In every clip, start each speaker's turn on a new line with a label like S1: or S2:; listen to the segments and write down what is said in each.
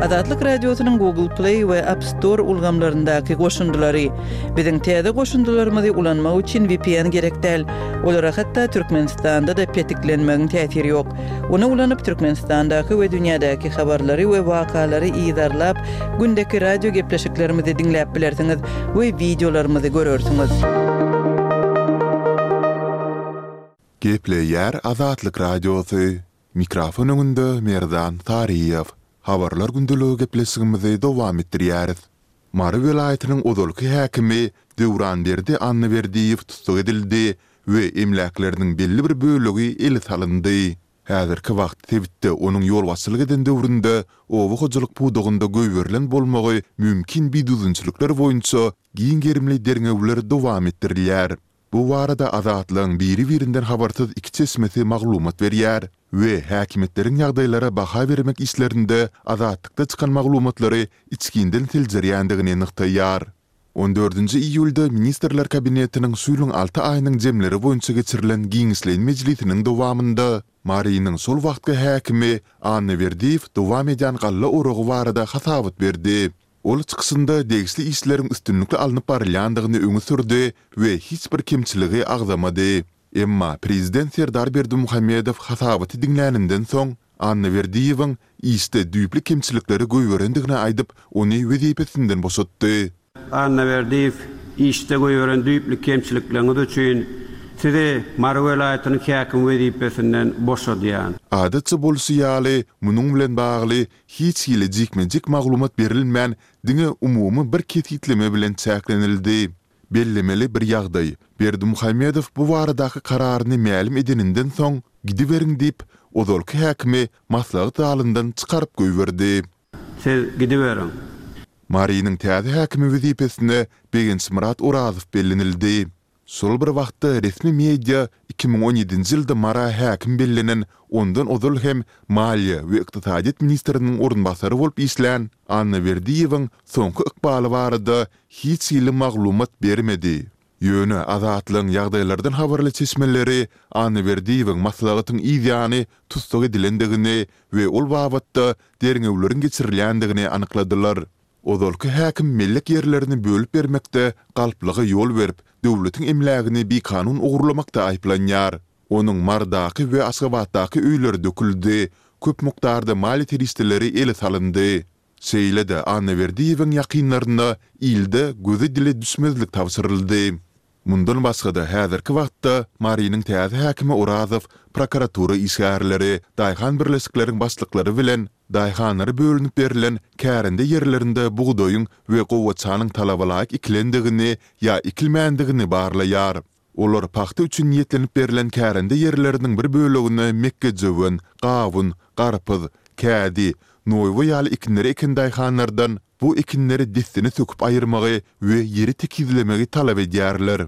S1: Azatlyk Radiosynyň Google Play we App Store ulgamlaryndaky goşundylary. Biziň täze goşundylarymyzy ulanmak üçin vpn gerek däl. Olara hatda Türkmenistanda-da petiklenmegiň täsiri ýok. Ony ulanyp Türkmenistandaky we dünýädäki habarlary we wakalary yzarlap, gündeki radio gepleşiklerimizi diňläp bilersiňiz we wideolarymyzy görersiňiz.
S2: Gepleýär Azatlyk Radiosy, Mikrofon öňünde Merdan Saryýew. Habarlar gündeligi gepleşigimizi dowam etdirýäris. Mary welaýatynyň ozalky häkimi Döwranberdi Annaberdiýew tussag edildi we emläkleriniň belli bir bölegi ele salyndy. Häzirki wagt sebitde onuň ýolbaşçylyk eden döwründe oba hojalyk pudagynda goýberilen bolmagy mümkin bidüzgünçilikler boýunça giň gerimli derňewler dowam etdirilýär. Bu barada Azatlygyň biri-birinden habarsyz iki çeşmesi maglumat berýär we häkimiýetleriň ýagdaýlara baha bermek işlerinde Azatlykda çykan maglumatlary içginden seljerýändigini nygtaýar. On dördünji iýulda Ministrler Kabinetiniň şu ýylyň alty aýynyň jemleri boýunça geçirilen giňişleýin mejlisiniň dowamynda Marynyň şol wagtky häkimi Anna Berdiýew dowam edýän galla oragy barada hasabat berdi. Ol çykyşynda degişli işleriň üstünlikli alnyp barylýandygyny öňe sürdi we hiç bir kemçiligi agzamady. Emma prezident Serdar Berdimuhamedow hasabaty diňläninden soň, Annaberdiýewiň işde düýpli kemçilikleri goýberendigini aýdyp, ony wezipesinden boşatdy.
S3: Annaberdiýew, işde goýberen düýpli kemçilikleriňiz üçin Sizi Mary welaýatynyň häkimi wezipesinden boşadýan.
S2: Adatça bolşy ýaly, munuň bilen bagly hiç hili jikme-jik maglumat berilmän, diňe umumy bir kesgitleme bilen çäklenildi. Bellemeli bir ýagdaý, Berdimuhamedow bu baradaky kararyny mälim edeninden soň, gidiberiň diýip, ozalky häkimi maslahat zalyndan çykaryp goýberdi.
S3: Siz gidiberiň.
S2: Marynyň täze häkimi wezipesine Begençmyrat Orazow bellenildi. Şol bir wagtda resmi media 2017-nji ýylda Mara häkim bellenen, ondan ozal hem maliýe we ykdysadyýet ministriniň orunbasary bolup işlän Anna Berdiýewiň soňky ykbaly barada hiç hili maglumat bermedi. Ýöne Azatlygyň ýagdaýlardan habarly çeşmeleri Anna Berdiýewiň maslahatyň yz ýany tussag edilendigini we ol babatda derňewleriň geçirilýändigini anykladylar. Ozalky häkim mellek ýerlerini bölüp bermekde galplyga ýol berip, döwletiň emlägini bikanun ogurlamakda aýyplanýar. Onuň Marydaky we Aşgabatdaky öýleri döküldi, köp mukdarda maliýe serişdeleri ele salyndy. Şeýle-de Annaberdiýewiň ýakynlaryna ilde göze-dile düşmezlik tabşyryldy. Mundan başga-da, häzirki wagtda Marynyň täze häkimi Orazow prokuratura işgärleri, daýhan birleşikleriň başlyklary bilen daýhanlara bölünip berlen kärende ýerlerinde bugdaýyň we gowaçanyň talabalaýyk ekilendigini ýa ekilmändigini barlaýar. Olar pagta üçin niýetlenip berlen kärende ýerleriniň bir bölegine mekgejöwen, gawun, garpyz, kädi, noýba ýaly ekinleri eken daýhanlardan bu ekinleri dessine söküp aýyrmagy we ýeri tekizlemegi talap edýärler.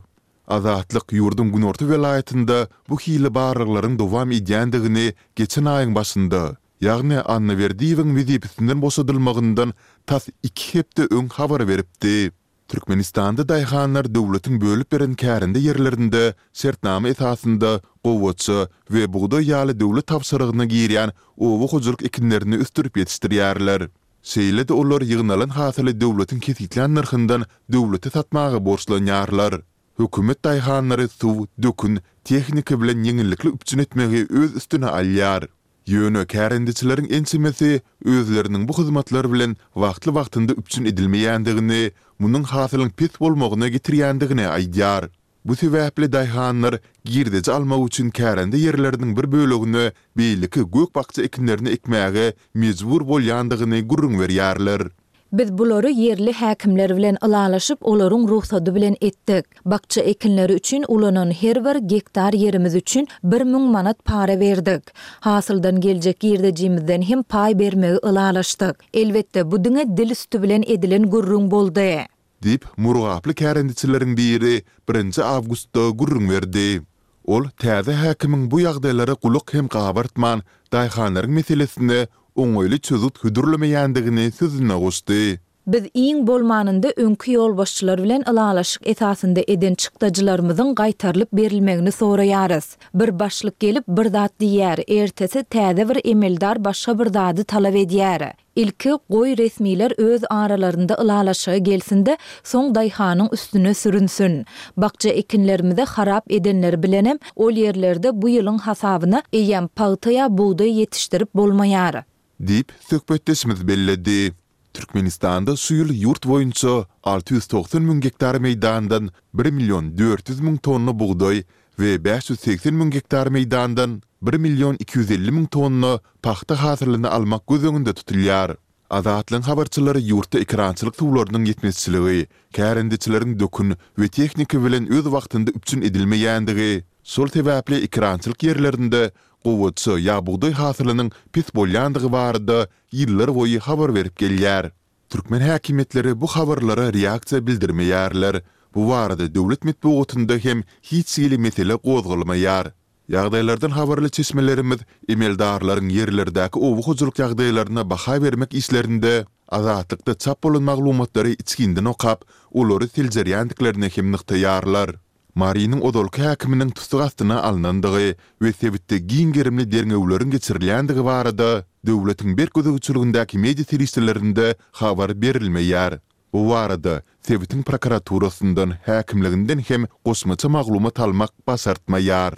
S2: Azatlyk ýurduň günorta welaýatynda bu hili barlaglaryň dowam edýändigini geçen aýyň başynda, ýagny Annaberdiýewiň wezipesinden boşadylmagyndan tas iki hepde öň habar beripdi. Türkmenistanda daýhanlar döwletiň bölüp beren kärende ýerlerinde şertnama esasynda gowaça we bugdaý ýaly döwlet tabşyrygyna girýän oba hojalyk ekinlerini ösdürip ýetişdirýärler. Şeýle-de olar ýygnalan hasyly döwletiň kesgitlän nyrhyndan döwlete satmaga borçlanýarlar. Hökümet daýhanlary suw, dökün, tehnika bilen ýeňillikli üpjün etmegi öz üstüne alýar. Ýöne kärendeçileriň ençemesi özleriniň bu hyzmatlar bilen wagtly-wagtynda üpjün edilmeýändigini, munuň hasylyň pes bolmagyna getirýändigini aýdýar. Bu sebäpli daýhanlar girdeji almak üçin kärende ýerleriniň bir bölegine beýleki gök-bakja ekinlerini ekmäge mejbur bolýandygyny gürrüň berýärler.
S4: Biz bulary ýerli häkimler bilen ylalaşyp, olaryň rugsady bilen etdik. Bakja ekinleri üçin ulanan her bir gektar ýerimiz üçin 1000 manat para berdik. Hasyldan geljek girdejimizden hem paý bermegi ylalaşdyk. Elbetde, bu diňe dil üsti bilen edilen gürrüň boldy.
S2: Diýip, murgaply kärendeçileriň biri birinji awgustda gürrüň berdi. Ol täze häkimiň bu ýagdaýlara gulak hem gabartman, daýhanlaryň meselesine oňaýly çözgüt hödürlemeýändigini sözüne goşdy.
S4: Biz iň bolmanynda öňki ýolbaşçylar bilen ylalaşyk esasynda eden çykdajylarymyzyň gaýtarylyp berilmegini soraýarys. Bir başlyk gelip bir zat diýýär, ertesi täze bir emeldar başga bir zady talap edýär. Ilki, goý, resmiler öz aralarynda ylalaşyga gelsin-de, soň daýhanyň üstüne sürünsin. Bakja ekinlerimizi harap edenleri bilenem ol ýerlerde bu ýylyň hasabyna eýýäm pagta ýa bugdaý ýetişdirip bolmaýar.
S2: Diýip, söhbetdeşimiz belledi. Türkmenistanda şu ýyl ýurt boýunça 690 müň gektar meýdandan bir million 400 müň tonna bugdaý we 580 müň gektar meýdandan bir million 250 müň tonna pagta hasylyny almak göz öňünde tutulýar. Azatlygyň habarçylary ýurtda ekerançylyk suwlarynyň ýetmezçiligi, kärendeçileriň dökün we tehnika bilen öz wagtynda üpjün edilmeýändigi, şol sebäpli ekerançylyk ýerlerinde gowaça ýa bugdaý hasylynyň pes bolýandygy barada ýyllarboýy habar berip gelýär. Türkmen häkimiýetleri bu habarlara reaksiýa bildirmeýärler. Bu barada döwlet metbugatynda hem hiç hili mesele gozgalmaýar. Ýagdaýlardan habarly çeşmelerimiz emeldarlaryň ýerlerdäki oba hojalyk ýagdaýlaryna baha bermek işlerinde Azatlykda çap bolan maglumatlary içginden okap, olary seljerýändiklerini hem nygtaýarlar. Marynyň ozalky häkiminiň tussag astyna alnandygy we sebitde giň gerimli derňewleriň geçirilýändigi barada döwletiň berk gözegçiligindäki media serişdelerinde habar berilmeýär. Bu barada sebitiň prokuraturasyndan, häkimliginden hem goşmaça maglumat almak başartmaýar.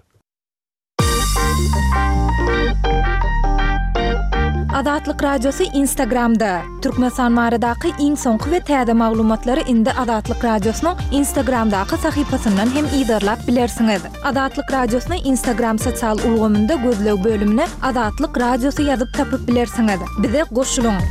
S4: Azatlyk Radiosy Instagramda, Türkmenistan baradaky iň soňky we täze maglumatlary indi Azatlyk Radiosynyň Instagramdaky sahypasyndan hem yzarlap bilersiňiz. Azatlyk Radiosyny Instagram sosial ulgamynda gözleg bölümine Azatlyk Radiosy ýazyp tapyp bilersiňiz. Bize goşulyň!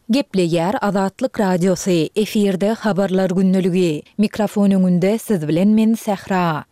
S4: Gepleýär Azatlyk Radiosy, efirde Habarlar gündeligi. Mikrofon öňünde siz bilen men Sähra.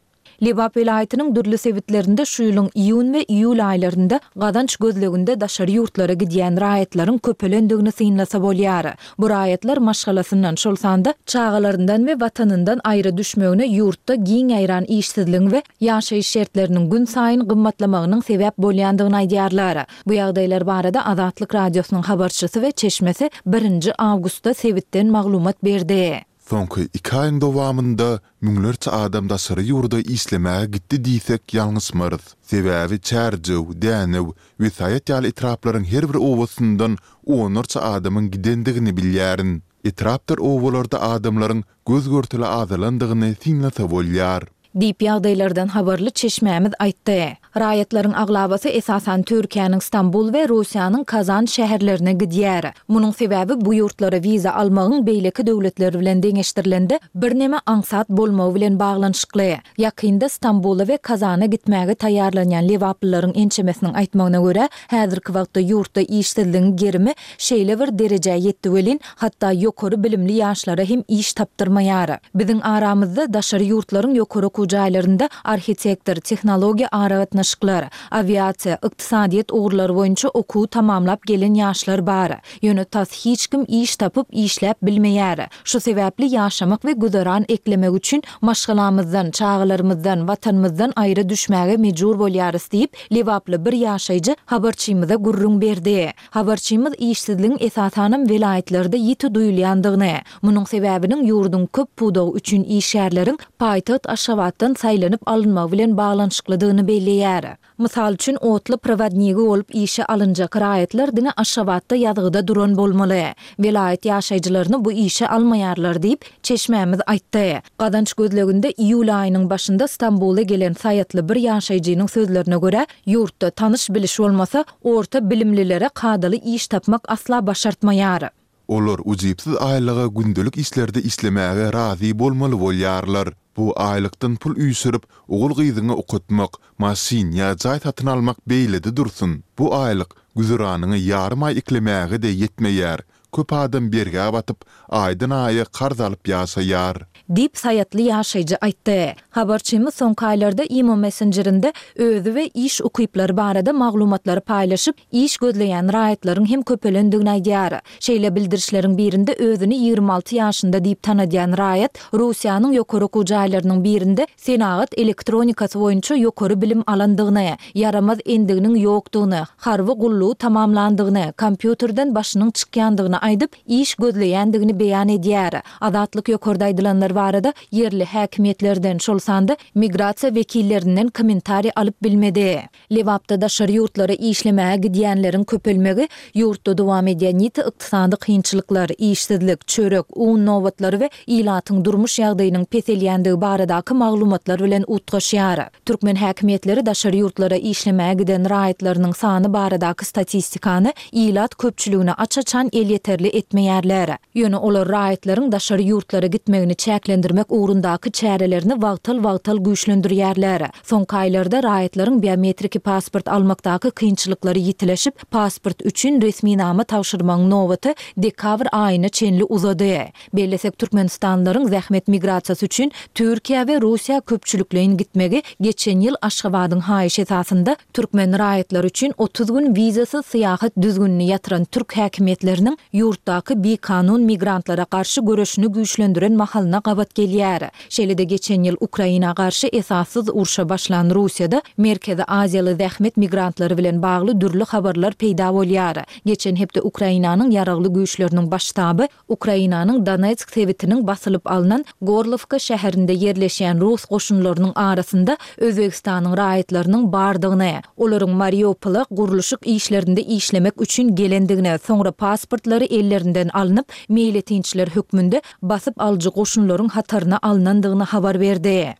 S4: Lebap welaýatynyň dürli sebitlerinde şu ýylyň iýun we iýul aýlarynda gazanç gözleginde daşary ýurtlara gidýän raýatlaryň köpelendigini synlasa bolýar. Bu raýatlar maşgalasyndan, şol sanda çagalaryndan we watanyndan aýra düşmegine ýurtda giň ýaýran işsizligiň we ýaşaýyş şertleriniň günsaýyn gymmatlamagynyň sebäp bolýandygyny aýdýarlar. Bu ýagdaýlar barada Azatlyk Radiosynyň habarçysy we çeşmesi birinji awgustda sebitden maglumat berdi.
S2: Soňky iki aýyň dowamynda müňlerçe adam daşary ýurda işlemäge gitdi diýsek ýalňyşmarys. Sebäbi Çärjew, Dänew we Saýat ýaly etraplaryň her bir obasyndan onlarça adamyň gidendigini bilýärin. Etrapdyr obalarda adamlaryň göz-görtele azalandygyny synlasa bolýar.
S4: Diýip, ýagdaýlardan habarly çeşmämiz aýtdy. Raýatlaryň aglabasy esasan Türkiýäniň Stambul we Russiýanyň Kazan şäherlerine gidýär. Munuň sebäbi bu ýurtlara wiza almagyň beýleki döwletler bilen deňeşdirilende birneme aňsat bolmagy bilen baglanyşykly. Ýakynda Stambula we Kazana gitmäge taýýarlanýan lebaplylaryň ençemesiniň aýtmagyna görä, häzirki wagtda ýurtda işsizligiň gerimi şeýle bir derejä ýetdi welin, hatda ýokary bilimli ýaşlara hem iş tapdyrmaýar. Biziň aramyzda daşary ýurtlaryň ýokary okuw jaýlarynda arhitektor, tehnologiýa aragatnaşyklar, awiasiýa, ykdysadyýet ugurlary boýunça okuwy tamamlap gelen ýaşlar bar. Ýöne tas hiç kim iş tapyp, işläp bilmeýär. Şu sebäpli ýaşamak we güzeran eklemek üçin maşgalamyzdan, çagalarymyzdan, Watanymyzdan aýra düşmäge mejbur bolýarys diýip, lebaply bir ýaşaýjy habarçymyza gürrüň berdi. Habarçymyz işsizligiň esasanam welaýatlarda ýiti duýulýandygyny, munuň sebäbiniň ýurduň köp pudagy üçin işgärleriň paýtagt Aşgabatdan saýlanyp alynmagy bilen baglanyşyklydygyny belleýär. Mysal üçin, otly prowodnigi bolup işe alynjak raýatlar diňe Aşgabatda ýazgyda duran bolmaly. Welaýat ýaşaýjylaryny bu işe almaýarlar diýip, çeşmämiz aýtdy. Gazanç gözleginde iýul aýynyň başynda Stambula gelen saýatly bir ýaşaýjynyň sözlerine görä, ýurtda tanyş-biliş bolmasa, Orta bilimlilere kadaly iş tapmak asla başartmaýar.
S2: Olar ujypsyz aýlyga gündelik işlerde işlemäge razy bolmaly bolýarlar. Bu aýlykdan pul üýşürip, ogul-gyzyňy okatmak, maşyn ýa jaý satyn almak beýlede dursun. Bu aýlyk güzeranyňy ýarym aý eklemäge-de ýetmeýär. Köp adam bergä batyp, aýdan-aýa karz alyp ýaşaýar.
S4: Diýip, saýatly ýaşaýjy aýtdy. Habarçymyz soňky aýlarda imo messenjerinde özi we iş ukyplary barada maglumatlary paýlaşyp, iş gözleýän raýatlaryň hem köpelendigini aýdýar. Şeýle bildirişleriň birinde özüni 26 ýaşynda diýip tanadýan raýat Russiýanyň ýokary okuw jaýlarynyň birinde senagat elektronikasy boýunça ýokary bilim alandygyny, ýaramaz endiginiň ýokdugyny, harby gullugy tamamlandygyny, kompýuterden başynyň çykýandygyny. bolandygyny aýdyp, iş gözleýändigini beýan edýär. Azatlyk ýokarda aýdylanlar barada ýerli häkimiýetlerden, şol sanda migrasiýa wekillerinden kommentariý alyp bilmedi. Lebapda daşary ýurtlara işlemäge gidýänleriň köpelmegi ýurtda dowam edýän ýiti ykdysady kynçylyklar, işsizlik, çörek, un nobatlary we ilatyň durmuş ýagdaýynyň peselýändigi baradaky maglumatlar bilen utgaşýar. Türkmen häkimiýetleri daşary ýurtlara işlemäge giden raýatlarynyň sany baradaky statistikany ilat köpçüligine aç-açan elýeterli etmeýärler. Ýöne olar raýatlaryň daşary ýurtlara gitmegini çäklendirmek ugrundaky çärelerini wagtal-wagtal güýçlendirýärler. Soňky aýlarda raýatlaryň biometriki pasport almakdaky kynçylyklary ýitileşip, pasport üçin resminama tabşyrmagyň nobaty dekabr aýyna çenli uzady. Bellesek, türkmenistanlylaryň zähmet migrasiýasy üçin Türkiýä we Russiýa köpçülikleýin gitmegi geçen ýyl Aşgabadyň haýyşy esasynda türkmen raýatlary üçin 30 gün wizasyz syýahat düzgünini ýatyran türk häkimiýetleriniň ýurtdaky bikanun migrantlara garşy göreşini güýçlendiren mahalyna gabat gelýär. Şeýle-de geçen ýyl Ukraina garşy esassyz urşa başlan Russiýada Merkezi Aziýaly zähmet migrantlary bilen bagly dürli habarlar peýda bolýar. Geçen hepde Ukrainanyň Ýaragly Güýçleriniň Baş ştaby Ukrainanyň Donetsk sebitiniň basylyp alnan Gorlowka şäherinde ýerleşýän rus goşunlarynyň arasynda Özbegistanyň raýatlarynyň bardygyny, olaryň Mariupola gurluşyk işlerinde işlemek üçin gelendigini, soňra pasportlary ellerinden alnyp, meýletinçiler hökmünde basyp alyjy goşunlaryň hataryna alnandygyny habar berdi.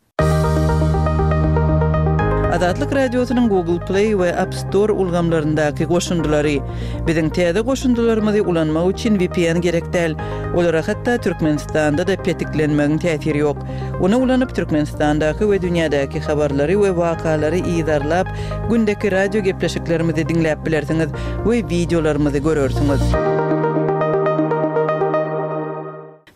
S1: Azatlyk Radiosynyň Google Play we App Store ulgamlaryndaky goşundylary. Biziň täze goşundylarymyzy ulanmak üçin VPN gerek däl. Olara hatda Türkmenistanda-da petiklenmegiň täsiri ýok. Ony ulanyp Türkmenistandaky we dünýädäki habarlary we wakalary yzarlap, gündeki radio gepleşiklerimizi diňläp bilersiňiz we wideolarymyzy görersiňiz.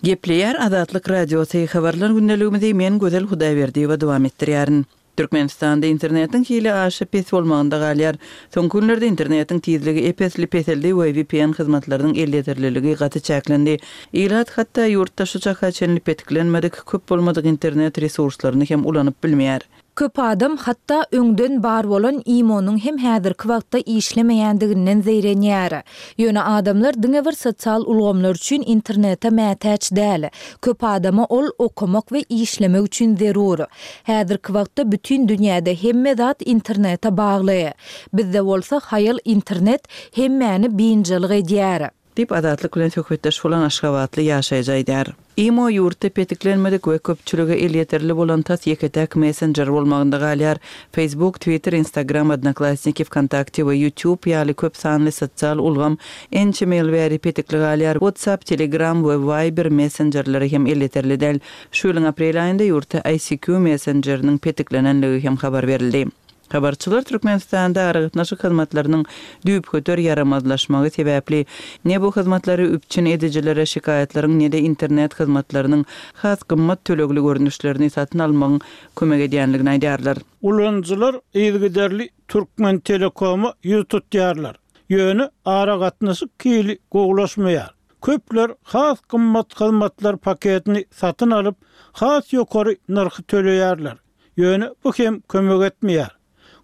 S1: Gepleýär Azatlyk Radiosy, Habarlar gündeligimizi men Gözel Hudaýberdiýewa dowam etdirýärin. Türkmenistanda internetiň hili aşa pes bolmagynda galýar. Soňky günlerde internetiň tizligi ep-esli peseldi we VPN hyzmatlarynyň elýeterliligi gaty çäklendi. Ilat hatda ýurtda şu çaka çenli petiklenmedik, köp bolmadyk internet resurslaryny hem ulanyp bilmeýär.
S4: Köp adam hatda öňden bar bolan imo-nyň hem häzirki wagtda işlemeýändiginden zeýrenýär. Ýöne adamlar diňe bir sosial ulgamlar üçin internete mätäç däl. Köp adama ol okamak we işlemek üçin zerur. Häzirki wagtda bütin dünýäde hemme zat internete bagly. Bizde bolsa haýal internet hemmäni biynjalyk edýär.
S1: Diýip, Azatlyk bilen söhbetdeş bolan aşgabatly ýaşaýjy aýdýar. Imo ýurtda petiklenmedik we köpçülige elýeterli bolan tas ýeke-täk messenjer bolmagynda galýar. Facebook, Twitter, Instagram, Odnoklassniki, Wkontakte we YouTube ýaly köp sanly sosial ulgam ençeme ýyl bäri petikli galýar. WhatsApp, Telegram we Viber messenjerleri hem elýeterli däl. Şu ýylyň aprel aýynda ýurtda ICQ messenjeriniň petiklenenligi hem habar berildi. Habarçylar Türkmenistanda aragatnaşyk hyzmatlarynyň düýpgöter ýaramazlaşmagy sebäpli, ne bu hyzmatlary üpjün edijilere şikaýatlaryň ne-de internet hyzmatlarynyň has gymmat tölegli görnüşlerini satyn almagyň kömek edýänligini aýdýarlar.
S5: Ulanyjylar yzygiderli Türkmentelekoma ýüz tutýarlar. Ýöne aragatnaşyk hili gowulaşmaýar. Köpler has gymmat hyzmatlar paketini satyn alyp, has ýokary nyrhy töleýärler. Ýöne bu hem kömek etmeýär.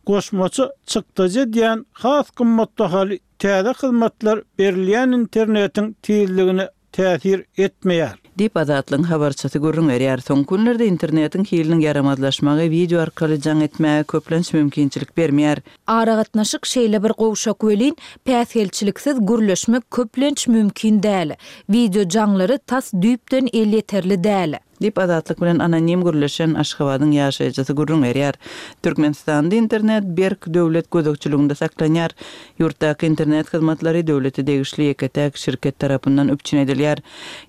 S5: Goşmaça çykdajy edýän has gymmatbahaly täze hyzmatlar berilýän internetiň tizligine täsir etmeýär.
S1: Diýip, Azatlygyň habarçysy gürrüň berýär. Soňky günlerde internetiň hiliniň ýaramazlaşmagy wideo arkaly jaň etmäge köplenç mümkinçilik bermeýär.
S4: Aragatnaşyk şeýle bir gowşak welin, päsgelçiliksiz gürleşmek köplenç mümkin däl. Wideo jaňlary tas düýpden elýeterli däl.
S1: Diýip, Azatlyk bilen anonim gürleşen Aşgabadyň ýaşaýjysy gürrüň berýär. Türkmenistanda internet berk döwlet gözegçiliginde saklanýar. Ýurtdaky internet hyzmatlary döwlete degişli ýeke-täk şirket tarapyndan üpjün edilýär.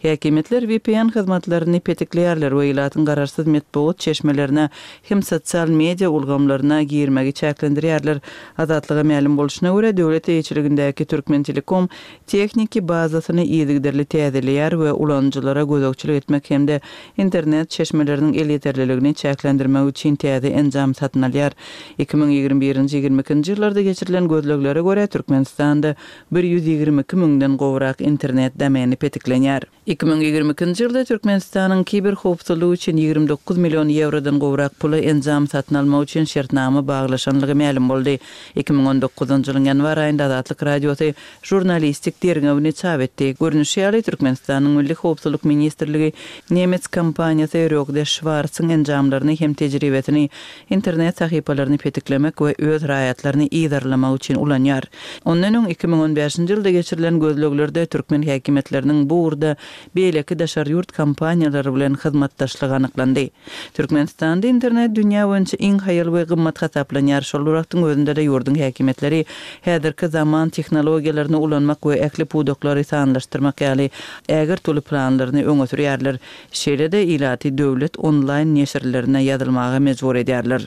S1: Häkimiýetler VPN hyzmatlaryny petikleýärler we ilatyň garaşsyz metbugat çeşmelerine hem sosial media ulgamlaryna girmegi çäklendirýärler. Azatlyga mälim bolşuna görä, döwlet eýeçiligindäki Türkmentelekom tehniki bazasyny yzygiderli täzeleýär we ulanyjylara gözegçilik etmek hem-de internet çeşmeleriniň elýeterliligini çäklendirmek üçin täze enjam satyn alýar. 2021-nji, 22-nji ýyllarda geçirilen gözleglere görä, Türkmenistanda 122 müňden gowrak internet domeni petiklenýär. 2022-nji ýylda Türkmenistanyň kiberhowpsuzlygy üçin 29 million ýewrodan gowrak pula enjam satyn almak üçin şertnama baglaşanlygy mälim boldy. 2019-njy ýylyň ýanwar aýynda Azatlyk Radiosy žurnalistik derňewini çap etdi. Görnüşi ýaly, Türkmenistanyň Milli howpsuzlyk ministrligi nemes kompaniýasy Rögde Şwarsyň enjamlaryny hem tejribesini internet sahypalaryny petiklemek we öz raýatlaryny yzarlamak üçin ulanýar. Ondan öň 2015-nji ýylda geçirilen gözleglerde türkmen häkimiýetleriniň bu ugurda beýleki daşary ýurt kompaniýalary bilen hyzmatdaşlygy anyklandy. Türkmenistanda internet dünýä boýunça iň haýal we gymmat hasaplanýar, şol bir wagtyň özünde-de ýurduň häkimiýetleri häzirki zaman tehnologiýalaryny ulanmak we ähli pudaklary sanlaşdyrmak ýaly ägirt uly planlaryny öňe sürýärler. Şeýle-de ilaty döwlet onlaýn neşirlerine ýazylmaga mejbur edýärler.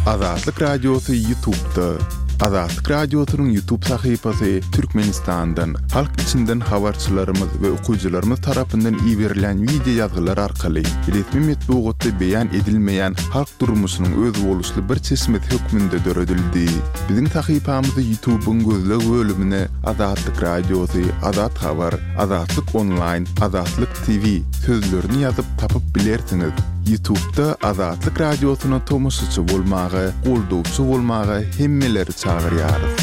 S2: Azatlyk Radiosy Ýutubda. Azatlyk Radiosynyň Ýutub sahypasy Türkmenistandan, halk içinden habarçylarymyz we okyjylarymyz tarapyndan iberilýän wideo ýazgylar arkaly resmi metbugatda beýan edilmeýän halk durmuşynyň özboluşly bir çeşmesi hökmünde döredildi. Biziň sahypamyzy Ýutubyň gözleg bölümine Azatlyk Radiosy, Azat Habar, Azatlyk Onlaýn, Azatlyk TV sözlerini ýazyp tapyp bilersiňiz. Ýutubda Azatlyk Radiosyna tomaşaçy bolmaga, goldawçy bolmaga hemmeleri çagyrýarys.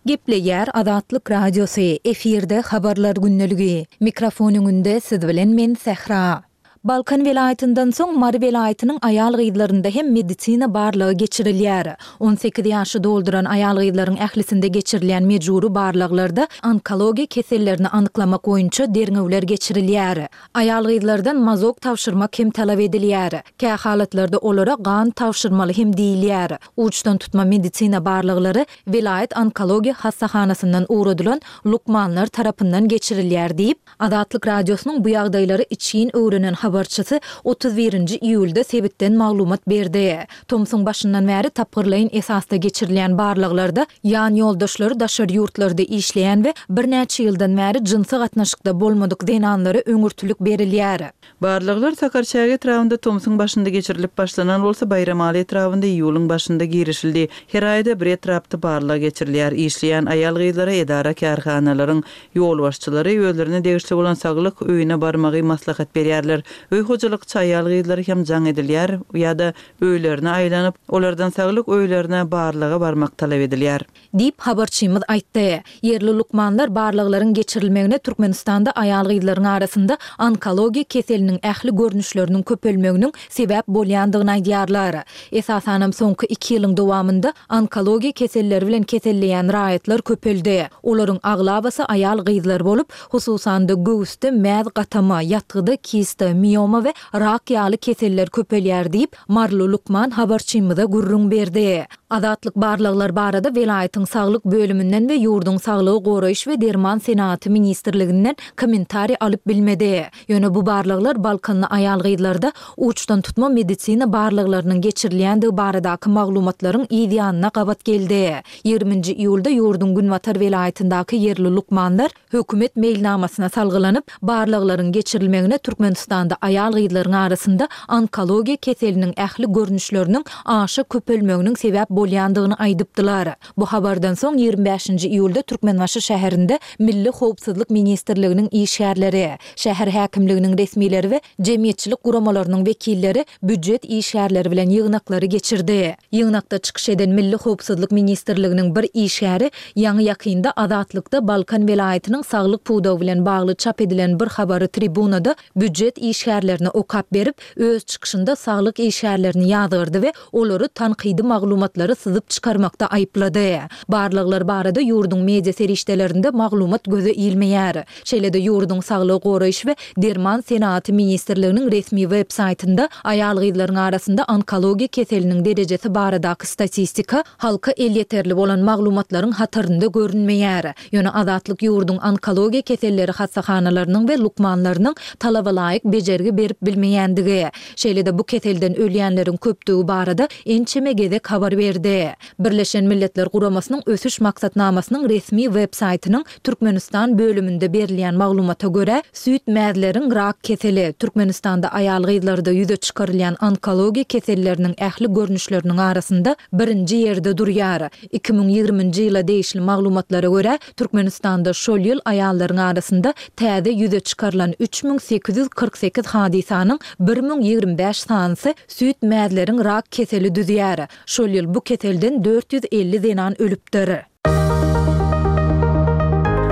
S4: Gepleýär Azatlyk Radiosy, efirde Habarlar gündeligi. Mikrofon öňünde siz bilen men Sähra. Balkan welaýatyndan soň Mary welaýatynyň aýal-gyzlarynda hem medisina barlagy geçirilýär. 18 ýaşy dolduran aýal-gyzlaryň ählisinde geçirilýän mejbury barlaglarda onkologiýa kesellerini anyklamak boýunça derňewler geçirilýär. Aýal-gyzlardan mazok tabşyrmak hem talap edilýär. Kähalatlarda olara gan tabşyrmaly hem diýilýär. Uçdan tutma medisina barlaglary welaýat onkologiýa hassahanasyndan ugradylan lukmanlar tarapyndan geçirilýär diýip, Azatlyk Radiosynyň bu ýagdaýlary içgin öwrenen habarçysy 31-nji iýulda sebitden maglumat berdi. Tomsuň başyndan bäri tapgyrlaýyn esasda geçirilýän barlaglarda ýan ýoldaşlary daşary ýurtlarda işleýän we birnäçe ýyldan bäri jynsy gatnaşykda bolmadyk zenanlara öňürtilik berilýär.
S1: Barlaglar Sakarçäge etrabynda tomsuň başynda geçirilip başlanan bolsa, Baýramaly etrabynda iýulyň başynda girişildi. Her aýda bir etrapda barlag geçirilýär. Işleýän aýal-gyzlara edara-kärhanalaryň ýolbaşçylary özlerine degişli bolan saglyk öýüne barmagy maslahat berýärler. Öý hojalykçy aýal-gyzlara hem jaň edilýär ýa-da öýlerine aýlanyp, olardan saglyk öýlerine barlaga barmak talap edilýär.
S4: Diýip, habarçymyz aýtdy. Ýerli lukmanlar barlaglaryň geçirilmegine Türkmenistanda aýal-gyzlaryň arasynda onkologiýa keseliniň ähli görnüşleriniň köpelmeginiň sebäp bolýandygyny aýdýarlar. Esasanam soňky iki ýylyň dowamynda onkologiýa keselleri bilen keselleýän raýatlar köpeldi. Olaryň aglabasy aýal-gyzlar bolup, hususan-da göwüsde mäz gatama, ýatgyda kista, mioma we rak ýaly keseller köpelýär diýip, Maryly lukman habarçymyza gürrüň berdi. Azatlyk barlaglar barada welaýatyň saglyk bölüminden we ýurduň Saglygy goraýyş we derman senagaty ministrliginden kommentariý alyp bilmedi. Ýöne bu barlaglar balkanly aýal-gyzlarda uçdan tutma medisina barlaglarynyň geçirilýändigi baradaky maglumatlaryň yz ýanyna gabat geldi. Ýigriminji iýulda ýurduň günbatar welaýatyndaky ýerli lukmanlar Hökümet meýilnamasyna salgylanyp, barlaglaryň geçirilmegine Türkmenistanda aýal-gyzlaryň arasynda onkologiýa keseliniň ähli görnüşleriniň aşa köpelmeginiň sebäp bolýandygyny aýdypdylar. Bu habardan soň ýigrimi bäşinji iýulda Türkmenbaşy şäherinde Milli howpsuzlyk ministrliginiň işgärleri, şäher häkimliginiň resmileri we jemgyýetçilik guramalarynyň wekilleri býujet işgärleri bilen ýygnaklary geçirdi. Ýygnakda çykyş eden Milli howpsuzlyk ministrliginiň bir işgäri ýaňy-ýakynda Azatlykda Balkan welaýatynyň saglyk pudagy bilen bagly çap edilen bir habary tribunada býujet işgärlerine okap berip, öz çykyşynda saglyk işgärlerini ýazgardy we olary tankydy maglumatlary syzyp çykarmakda aýyplady. Barlaglar barada ýurduň media serişdelerinde maglumat göze ilmeýär. Şeýle-de ýurduň Saglygy goraýyş we derman senagaty ministrliginiň resmi web saýtynda aýal-gyzlaryň arasynda onkologiýa keseliniň derejesi baradaky statistika halka elýeterli bolan maglumatlaryň hatarynda görünmeýär. Ýöne Azatlyk ýurduň onkologiýa keselleri hassahanalarynyň we lukmanlarynyň talabalaýyk bejergi berip bilmeýändigi, şeýle-de bu keselden ölýänleriň köpdügi barada ençeme gezek habar berdi. berdi. Birleşen Milletler Guramasynyň Ösüş Maksatnamasynyň resmi web-saýtynyň Türkmenistan bölüminde berilýän maglumata görä, süýt mäzleriň rak keseli, Türkmenistanda aýal-gyzlarda ýüze çykarylýan onkologiýa keselleriniň ähli görnüşleriniň arasynda birinji ýerde durýar. 2020-nji ýyla degişli maglumatlara görä, Türkmenistanda şol ýyl aýallaryň arasynda täze ýüze çykarylan 3848 hadysanyň 1025 sanysy süýt mäzleriň rak keseli düzýär. Şol ýyl bu keselden 450 zenan ölüpdir.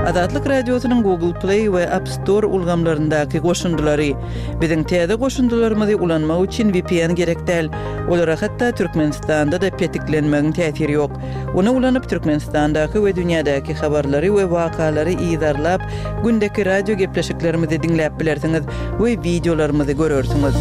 S1: Azatlyk Radiosynyň Google Play we App Store ulgamlaryndaky goşundylary. Biziň täze goşundylarymyzy ulanmak üçin vpn gerek däl. Olara hatda Türkmenistanda-da petiklenmegiň täsiri ýok. Ony ulanyp Türkmenistandaky we dünýädäki habarlary we wakalary yzarlap, gündeki radio gepleşiklerimizi diňläp bilersiňiz we wideolarymyzy görersiňiz.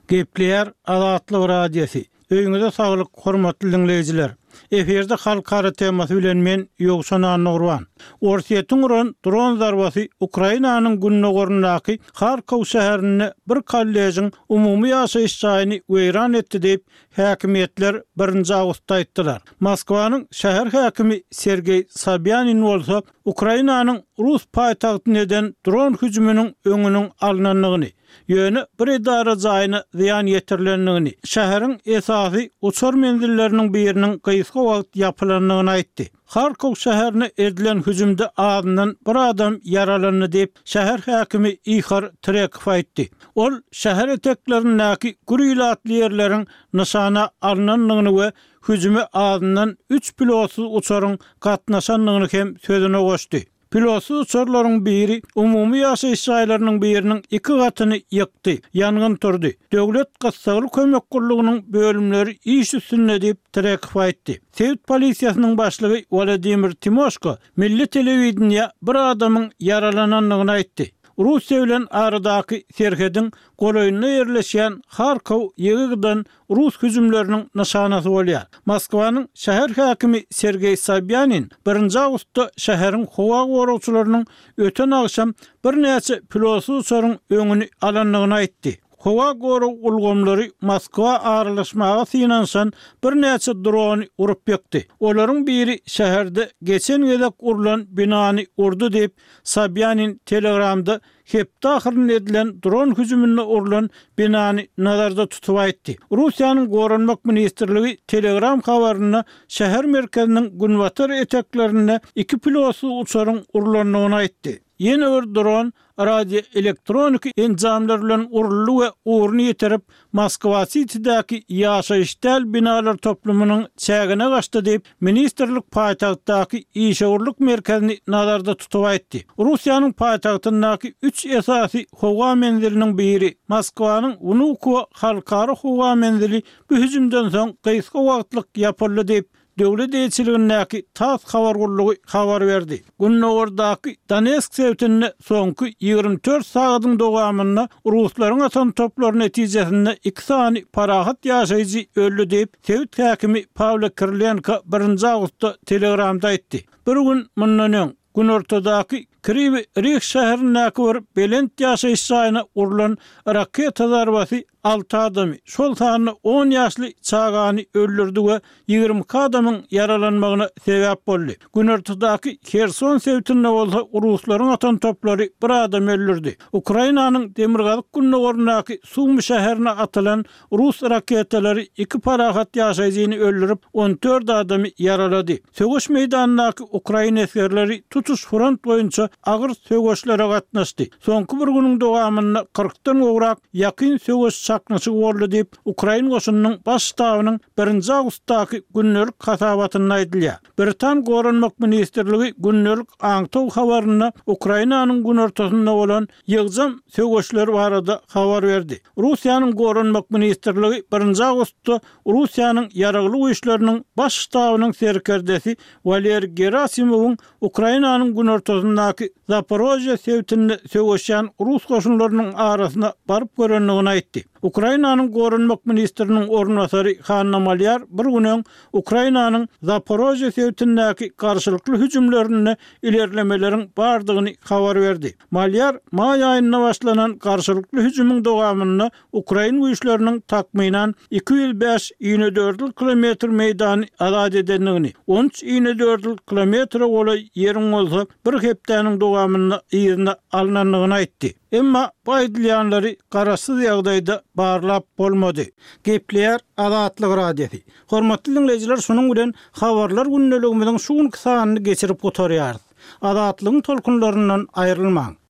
S5: Gepleýär Azatlyk Radiosy. Öýüňize saglyk, hormatly diňleýjiler! Efirde Halkara temasy bilen men, Ýowşan Annagurban. Orsýetiň uran dron zarbasy Ukrainanyň gündogaryndaky Harkow şäherinde bir kollejiň umumy ýaşaýyş jaýyny weýran etdi diýip, häkimiýetler birinji awgustda aýtdylar. Moskwanyň şäher häkimi Sergeý Sobýanin bolsa Ukrainanyň rus paýtagtyna eden dron hüjüminiň öňüniň alnandygyny, ýöne bir edara jaýyna zyýan ýetirilendigini, şäheriň esasy uçar menzilleriniň biriniň gysga wagt ýapylandygyny aýtdy. Harkow şäherine edilen hüjümde azyndan bir adam ýaralandy diýip, şäher häkimi Ihor Trekow aýtdy. Ol şäher eteklerindäki gür ilatly ýerleriň nyşana alnandygyny we hüjüme azyndan üç pilotsyz uçaryň gatnaşandygyny hem sözüne goşdy. Pilotsyz uçarlaryň biri umumy ýaşaýyş jaýlarynyň biriniň iki gatyny ýykdy, ýangyn turdy. Döwlet gyssagly kömek gullugynyň bölümleri iş üstünde diýip, Trekow aýtdy. Sebit polisiýasynyň başlygy Wladimir Timoşko milli telewideniýä bir adamyň ýaralanandygyny aýtdy. Russiýa bilen aradaky serhediň golaýynda ýerleşýän Harkow ýygy-ýygydan rus hüjümleriniň nyşanasy bolýar. Moskwanyň şäher häkimi Sergeý Sobýanin birinji awgustda şäheriň howa goragçylarynyň öten agşam birnäçe pilotsyz uçaryň öňüni alandygyny aýtdy. Howa gorag ulgamlary Moskwa aralaşmaga synanyşan birnäçe drony urup ýykdy. Olaryň biri şäherde geçen gezek urlan binany urdy diýip, Sobýanin Telegramda hepde ahyrynda edilen dron hüjüminde urlan binany nazarda tutup aýtdy. Russiýanyň Goranmak ministrligi Telegram habarynda şäher merkeziniň günbatar eteklerinde iki pilotsyz uçaryň urlandygyny aýtdy. Ýene bir dron radioelektroniki enjamlar bilen uruldy we ugruny ýitirip, Moskwa-Sitidäki ýaşaýyş däl binalar toplumynyň çägine gaçdy diýip, ministrlik paýtagtdaky işewürlik merkezini nazarda tutup aýtdy. Russiýanyň paýtagtyndaky üç esasy howa menziliniň biri, Moskwanyň Wnukowo halkara howa menzili bu hüjümden soň gysga wagtlyk ýapyldy diýip, Döwlet eýeçiligindäki tass habar gullugy habar berdi. Gündogardaky Donetsk sebitinde soňky 24 sagadyň dowamynda ruslaryň atan toplary netijesinde iki sany parahat ýaşaýjy öldi diýip, sebit häkimi Pawlo Kirilenko birinji awgustda Telegramda aýtdy. Bir gün mundan öň, günortadaky Kriwi Rih şäherindäki bir belent ýaşaýyş jaýyna urlan raketa zarbasy alty adamy, şol sanda on ýaşly çagany öldürdi we 22 adamyň ýaralanmagyna sebäp boldy. Günortadaky Herson sebitinde bolsa ruslaryň atan toplary bir adamy öldürdi. Ukrainanyň demirgazyk-gündogaryndaky Sumy şäherine atylan Rus raketalary iki parahat ýaşaýjyny öldürip, 14 adamy ýaralady. Söweş meýdanyndaky ukrain esgerleri tutuş front boýunça agyr söweşlere gatnaşdy. Soňky bir günüň dowamynda kyrkdan gowrak ýakyn söweş çaknyşygy boldy diýip, ukrain goşunynyň Baş ştabynyň birinji awgustdaky gündelik hasabatynda aýdylýar. Britan Goranmak ministrligi gündelik aňtaw habarynda Ukrainanyň günortasynda bolan ýygjam söweşler barada habar berdi. Russiýanyň Goranmak ministrligi birinji awgustda Russiýanyň Ýaragly Güýçleriniň Baş ştabynyň serkerdesi Waleriý Gerasimowyň Ukrainanyň günortasyndaky Zaporožýe sebitinde söweşýän rus goşunlarynyň arasyna baryp görendigini aýtdy. Ukrainanyň Goranmak ministriniň orunbasary Hanna Malýar bir gün öň Ukrainanyň Zaporožýe sebitindäki garşylykly hüjümlerinde ilerlemeleriň bardygyny habar berdi. Malýar maý aýynda başlanan garşylykly hüjümiň dowamynda ukrain güýçleriniň takmynan 205 inedördül kilometr meýdany azat edendigini, 13 inedördül kilometre golaý ýeriň bolsa bir hepdäniň dowamynda yzyna alnandygyny aýtdy. Emma bu aýdylýanlary garaşsyz ýagdaýda barlap bolmady. Gepleýär Azatlyk Radiosy. Hormatly diňleýjiler şunuň bilen Habarlar gündeligimiziň şu günki sanyny geçirip gutarýarys. Azatlygyň tolkunlaryndan aýrylmaň!